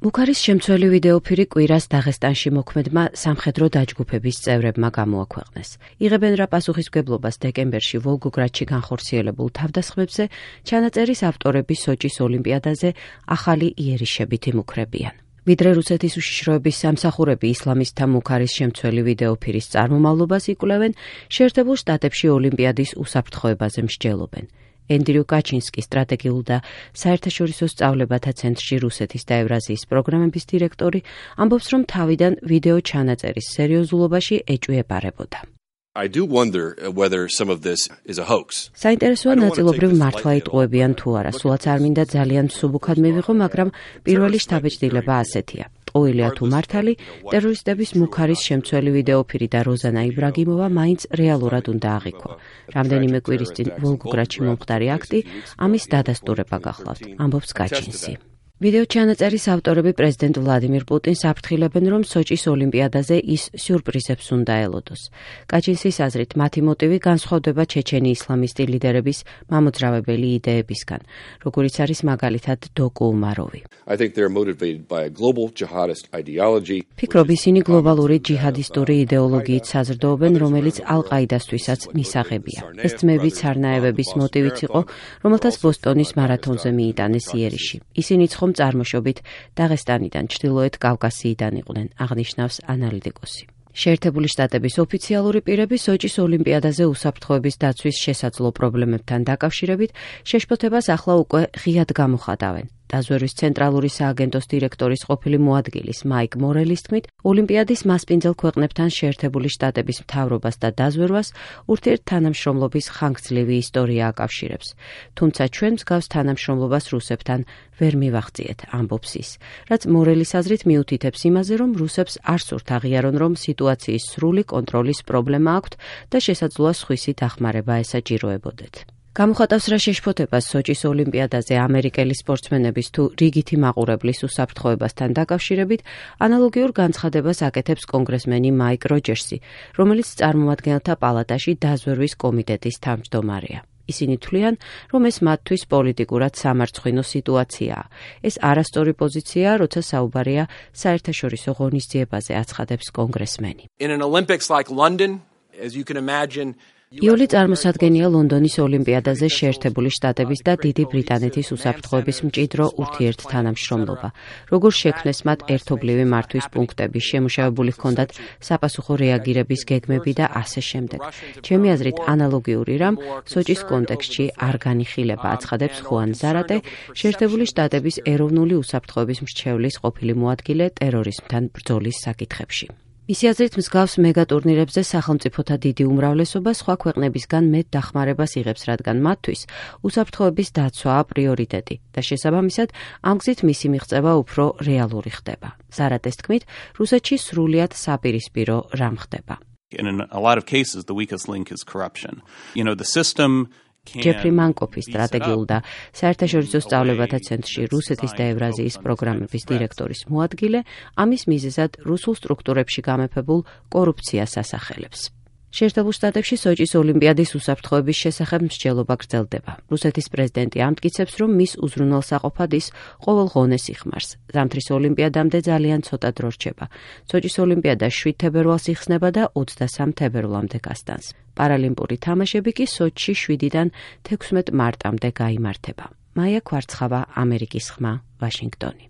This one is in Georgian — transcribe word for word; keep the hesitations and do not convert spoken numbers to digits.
ბუქარის შემცველი ვიდეოფირი კვირას დაღესტანში მოქმედმა სამხედრო დაჯგუფების წევრებმა გამოაქვეყნეს. იღებენ რა პასუხისმგებლობას დეკემბერში ვოლგოგრადში განხორციელებულ თავდასხმებზე, ჩანაწერის ავტორები სოჭის ოლიმპიადაზე ახალი იერიშებით იმუქრებიან. ვიდრე რუსეთის უშიშროების სამსახურები ისლამისტთა მუქარის შემცველი ვიდეოფირის წარმომავლობას იკვლევენ, შეერთებულ შტატებში ოლიმპიადის უსაფრთხოებაზე მსჯელობენ. ენდრიუ კაჩინსკი, სტრატეგიულ და საერთაშორისო სწავლებათა ცენტრში რუსეთის და ევრაზიის პროგრამების დირექტორი, ამბობს, რომ თავიდან ვიდეო ჩანაწერის სერიოზულობაში ეჭვიებარებოდა. I do wonder whether some of this is a hoax. საინტერესოა ნაწილობრივ მართლა იტყუებიან თუ არა, სულაც არ მინდა ძალიან მსუბუქად მივიღო, მაგრამ პირველი შთაბეჭდილება ასეთია. ტყუილია თუ მართალი, ტერორისტების მუქარის შემცველი ვიდეოფირი და როზანა იბრაგიმოვა მაინც რეალურად უნდა აღიქვა. რამდენიმე კვირის წინ ვოლგოგრადში მომხდარი აქტი ამის დადასტურება გახლავთ, ამბობს კაჩინსი. ვიდეო ჩანაწერის ავტორები პრეზიდენტ ვლადიმირ პუტინს აფრთხილებენ, რომ სოჭის ოლიმპიადაზე ის სიურპრიზებს უნდა ელოდოს. კაჩინსის აზრით, მათი მოტივი განსხვავდება ჩეჩენი ისლამისტი ლიდერების მამოძრავებელი იდეებისგან, როგორიც არის მაგალითად დოკუ უმაროვი. I think they're motivated by a global jihadist ideology. ფიქრობ, ისინი გლობალური ჯიჰადისტური იდეოლოგიით საზრდოობენ, რომელიც ალ-ყაიდასთვისაც მისაღებია. ეს ძმები ცარნაევების მოტივიც იყო, რომელთაც ბოსტონის მარათონზე მიიტანეს იერიში. ისინი ცხომ წარმოშობით დაღესტანიდან, ჩრდილოეთ კავკასიიდან იყვნენ, აღნიშნავს ანალიტიკოსი. შეერთებული შტატების ოფიციალური პირები სოჭის ოლიმპიადაზე უსაფრთხოების დაცვის შესაძლო პრობლემებთან დაკავშირებით შეშფოთებას ახლა უკვე ღიად გამოხატავენ. დაზვერვის ცენტრალური სააგენტოს დირექტორის ყოფილი მოადგილის მაიკ მორელის თქმით, ოლიმპიადის მასპინძელ ქვეყნებთან შეერთებული შტატების მთავრობას და დაზვერვას ურთიერთთანამშრომლობის ხანგრძლივი ისტორია აკავშირებს. თუმცა ჩვენ მსგავს თანამშრომლობას რუსებთან ვერ მივახციეთ, ამბობს ის, რაც მორელის აზრით მიუთითებს იმაზე, რომ რუსებს არ სურთ აღიარონ, რომ სიტუაციის სრული კონტროლის პრობლემა აქვთ და შესაძლოა სხვისი დახმარება ესაჭიროებოდეთ. გამოხატავს რა შეშფოთებას სოჭის ოლიმპიადაზე ამერიკელი სპორტსმენების თუ რიგითი მაყურებლის უსაფრთხოებასთან დაკავშირებით ანალოგიურ განცხადებას აკეთებს კონგრესმენი მაიკ როჯერსი, რომელიც წარმომადგენელთა პალატაში დაზვერვის კომიტეტის თავმჯდომარეა. ისინი თვლიან, რომ ეს მათთვის პოლიტიკურად სამარცხვინო სიტუაციაა. ეს არასწორი პოზიციაა, როცა საუბარია საერთაშორისო ღონისძიებაზე, აცხადებს კონგრესმენი. In an Olympics like London, as you can imagine, იოლი წარმოსადგენია ლონდონის ოლიმპიადაზე შეერთებული შტატების და დიდი ბრიტანეთის უსაფრთხოების მჭიდრო ურთიერთთანამშრომლობა. როგორ შექმნეს მათ ერთობლივი მართვის პუნქტები, შემუშავებული ჰქონდათ საპასუხო რეაგირების გეგმები და ასე შემდეგ. ჩემი აზრით, ანალოგიური რამ სოჭის კონტექსტში არ განიხილება, აცხადებს ხუან ზარატე, შეერთებული შტატების ეროვნული უსაფრთხოების მრჩევლის ყოფილი მოადგილე ტერორიზმთან ბრძოლის საკითხებში. მისი აზრით, მსგავს მეგატურნირებზე სახელმწიფოთა დიდი უმრავლესობა სხვა ქვეყნებისგან მეტ დახმარებას იღებს, რადგან მათთვის უსაფრთხოების დაცვაა პრიორიტეტი და შესაბამისად ამ გზით მისი მიღწევა უფრო რეალური ხდება. ზარატეს თქმით, რუსეთში სრულიად საპირისპირო რამ ხდება. In a lot of cases, the weakest link is corruption. You know, the system ჯეფრი მანკოფი, სტრატეგიულ და საერთაშორისო სწავლებათა ცენტრში რუსეთის და ევრაზიის პროგრამების დირექტორის მოადგილე, ამის მიზეზად რუსულ სტრუქტურებში გამეფებულ კორუფციას ასახელებს. შეერთებულ შტატებში სოჭის ოლიმპიადის უსაფრთხოების შესახებ მსჯელობა გრძელდება. რუსეთის პრეზიდენტი ამტკიცებს, რომ მის უზრუნველსაყოფად ის ყოველ ღონეს იხმარს. ზამთრის ოლიმპიადამდე ძალიან ცოტა დრო რჩება. სოჭის ოლიმპიადა შვიდ თებერვალს იხსნება და ოცდასამ თებერვლამდე გასტანს. პარალიმპური თამაშები კი სოჭში შვიდიდან თექვსმეტ მარტამდე გაიმართება. მაია ქვარცხავა, ამერიკის ხმა, ვაშინგტონი.